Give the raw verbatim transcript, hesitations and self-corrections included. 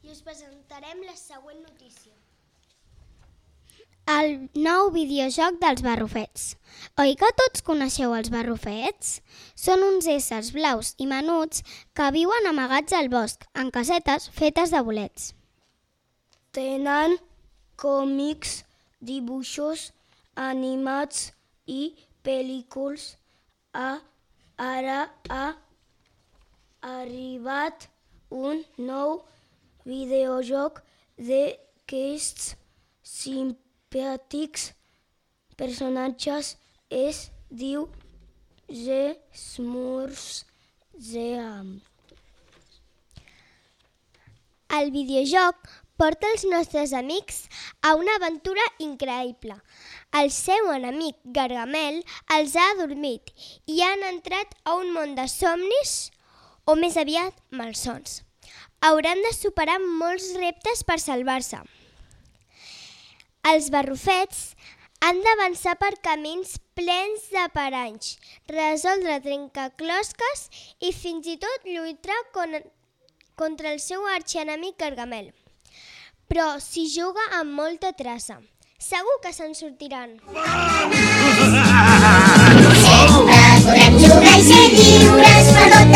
i us presentarem la següent notícia. El nou videojoc dels barrufets. Oi que tots coneixeu els barrufets? Són uns éssers blaus i menuts que viuen amagats al bosc, en casetes fetes de bolets. Tenen còmics, dibuixos animats i pel·lícules. Ara ha arribat un nou videojoc d'aquests simpàtics personatges. Es diu The Smurfs. El videojoc porta els nostres amics a una aventura increïble. El seu enemic Gargamel els ha adormit i han entrat a un món de somnis, o més aviat malsons. Hauran de superar molts reptes per salvar-se. Els barrufets han d'avançar per camins plens de paranys, resoldre trencaclosques i fins i tot lluitar contra el seu arxienemic Gargamel. Però s'hi juga amb molta traça. Segur que se'n sortiran. Sempre podem jugar i ser lliures per tot